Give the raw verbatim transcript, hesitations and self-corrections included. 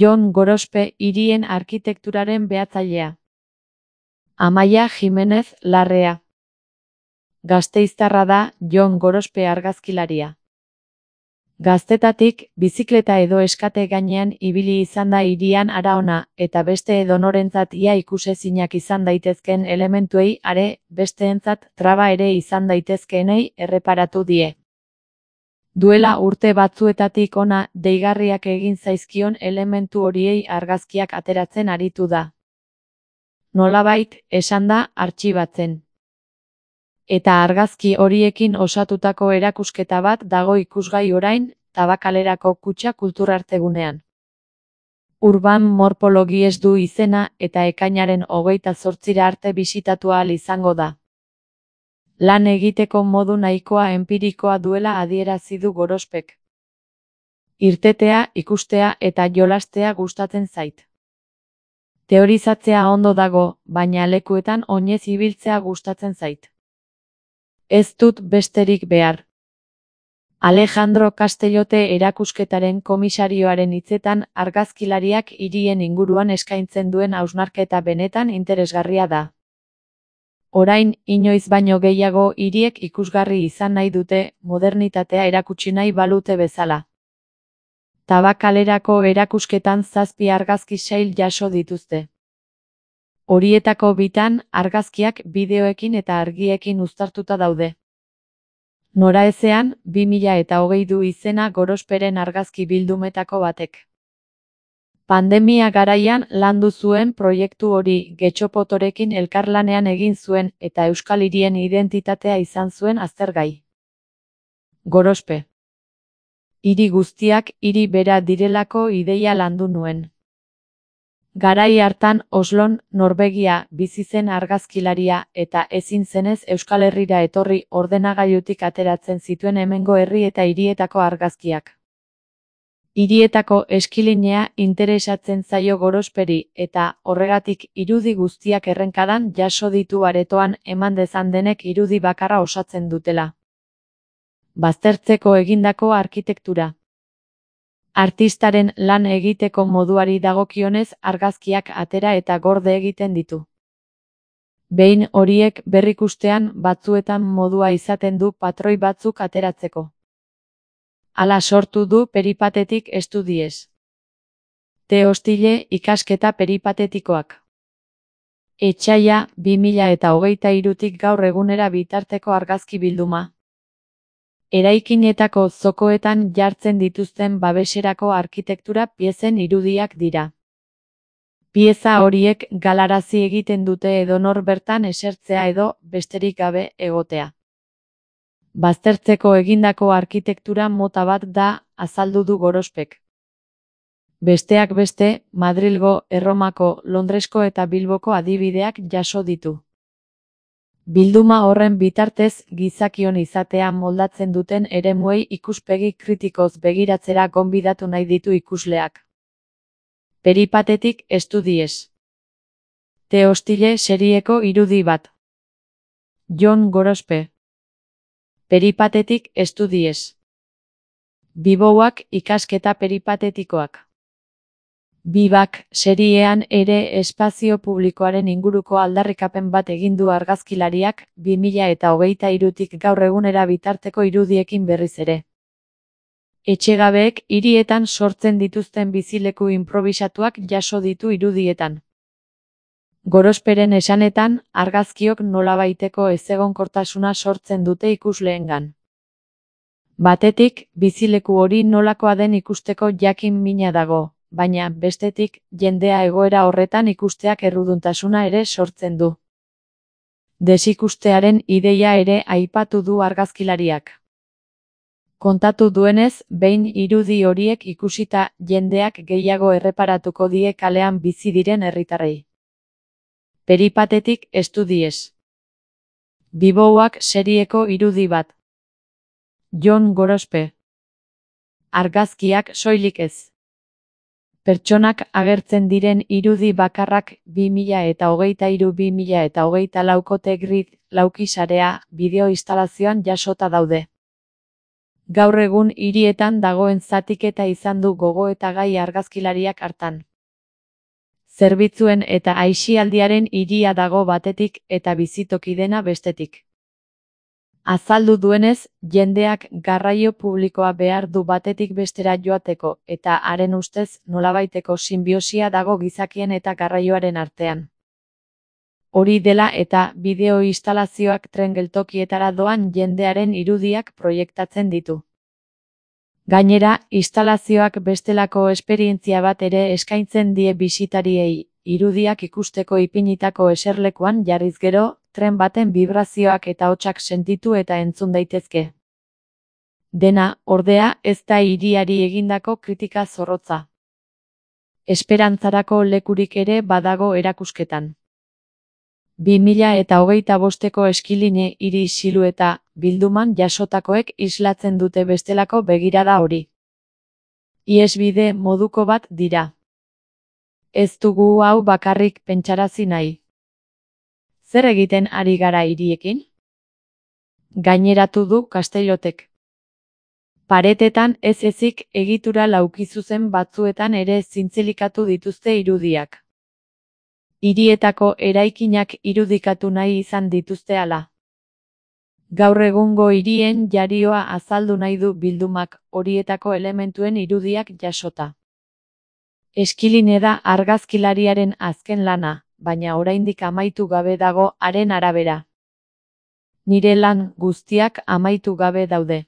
Jon Gorospe hirien arkitekturaren behatzailea. Amaia Jimenez Larrea. Gasteiztarra da Jon Gorospe argazkilaria. Gaztetatik, bizikleta edo eskate gainean ibili izan da hirian hara ona, eta beste edonorentzat ia ikusezinak izan daitezkeen elementuei are, besteentzat traba ere izan daitezkeenei erreparatu die. Duela urte batzuetatik ona, deigarriak egin zaizkion elementu horiei argazkiak ateratzen aritu da. Nolabait, esan da, artxibatzen. Eta argazki horiekin osatutako erakusketa bat dago ikusgai orain, Tabakalerako Kutxa Kulturartegunean. Urban Morphologies du izena eta ekainaren hogeita zortzira arte bisitatu ahal izango da. Lan egiteko modu nahikoa enpirikoa duela adierazi du Gorospek. Irtetea, ikustea eta jolastea gustatzen zait. Teorizatzea ondo dago, baina lekuetan oinez ibiltzea gustatzen zait. Ez dut besterik behar. Alejandro Castellote erakusketaren komisarioaren hitzetan argazkilariak hirien inguruan eskaintzen duen hausnarketa benetan interesgarria da. Orain, inoiz baino gehiago hiriek ikusgarri izan nahi dute, modernitatea erakutsi nahi balute bezala. Tabakalerako erakusketan zazpi argazki sail jaso dituzte. Horietako bitan, argazkiak bideoekin eta argiekin uztartuta daude. Noraezean, bi mila eta hogei du izena Gorosperen argazki bildumetako batek. Pandemia garaian landu zuen proiektu hori Getxopotorekin elkarlanean egin zuen eta Euskal Hirien identitatea izan zuen aztergai. Gorospe. Hiri guztiak hiri bera direlako ideia landu nuen. Garai hartan Oslon, Norvegia, bizi zen argazkilaria eta ezin zenez Euskal Herrira etorri ordenagailutik ateratzen zituen hemengo herri eta hirietako argazkiak. Hirietako eskilinea interesatzen zaio Gorosperi eta horregatik irudi guztiak errenkadan jaso ditu aretoan eman dezan denek irudi bakarra osatzen dutela. Baztertzeko egindako arkitektura. Artistaren lan egiteko moduari dagokionez argazkiak atera eta gorde egiten ditu. Behin horiek berrikustean batzuetan modua izaten du patroi batzuk ateratzeko. Hala sortu du Peripatetik Estudies. Te Hostile ikasketa peripatetikoak. Etsaia, bi mila eta hogeita hirutik gaur egunera bitarteko argazki bilduma. Eraikinetako zokoetan jartzen dituzten babeserako arkitektura piezen irudiak dira. Pieza horiek galarazi egiten dute edonor bertan esertzea edo besterik gabe egotea. Baztertzeko egindako arkitektura mota bat da, azaldu du Gorospek. Besteak beste, Madrilgo, Erromako, Londresko eta Bilboko adibideak jaso ditu. Bilduma horren bitartez gizakion izatea moldatzen duten eremuei ikuspegi kritikoz begiratzera gonbidatu nahi ditu ikusleak. Peripatetik Estudies. Te Hostile serieko irudi bat. Jon Gorospe. Peripatetik Estudies. Bibouak ikasketa peripatetikoak. Bibak seriean ere espazio publikoaren inguruko aldarrikapen bat egin du argazkilariak bi mila eta hogeita hirutik gaur egunera bitarteko irudiekin berriz ere. Etxegabeek hirietan sortzen dituzten bizileku inprobisatuak jaso ditu irudietan. Gorosperen esanetan, argazkiok nolabaiteko ezegonkortasuna sortzen dute ikusleengan. Batetik, bizileku hori nolakoa den ikusteko jakin mina dago. Baina, bestetik, jendea egoera horretan ikusteak erruduntasuna ere sortzen du. Desikustearen ideia ere aipatu du argazkilariak. Kontatu duenez, behin irudi horiek ikusita jendeak gehiago erreparatuko die kalean bizi diren herritarrei. Peripatetik Estudies. Bibouak serieko irudi bat. Jon Gorospe. Argazkiak soilik ez. Pertsonak agertzen diren irudi bakarrak bi mila eta hogeita hiru bi mila eta hogeita lauko Tegrid laukisarea bideo instalazioan jasota daude. Gaur egun hirietan dagoen zatiketa izan du gogoetagai argazkilariak hartan. Zerbitzuen eta aisialdiaren hiria dago batetik eta bizitoki dena bestetik. Azaldu duenez, jendeak garraio publikoa behar du batetik bestera joateko eta haren ustez nolabaiteko sinbiosia dago gizakien eta garraioaren artean. Hori dela eta bideo instalazioak tren geltokietara doan jendearen irudiak proiektatzen ditu. Gainera, instalazioak bestelako esperientzia bat ere eskaintzen die bisitariei, irudiak ikusteko ipinitako eserlekuan jarriz gero, tren baten bibrazioak eta hotsak sentitu eta entzun daitezke. Dena, ordea, ez da hiriari egindako kritika zorrotza. Esperantzarako lekurik ere badago erakusketan. bi mila eta hogeita bosteko eskiline hiri silueta bilduman jasotakoek islatzen dute bestelako begirada hori. Ihesbide moduko bat dira. Ez dugu hau bakarrik pentsarazi nahi. Zer egiten ari gara hiriekin? Gaineratu du Castellotek. Paretetan ez ezik egitura laukizuzen batzuetan ere zintzilikatu dituzte irudiak. Hirietako eraikinak irudikatu nahi izan dituzte hala. Gaur egungo hirien jarioa azaldu nahi du bildumak horietako elementuen irudiak jasota. Eskiline da argazkilariaren azken lana, baina oraindik amaitu gabe dago haren arabera. Nire lan guztiak amaitu gabe daude.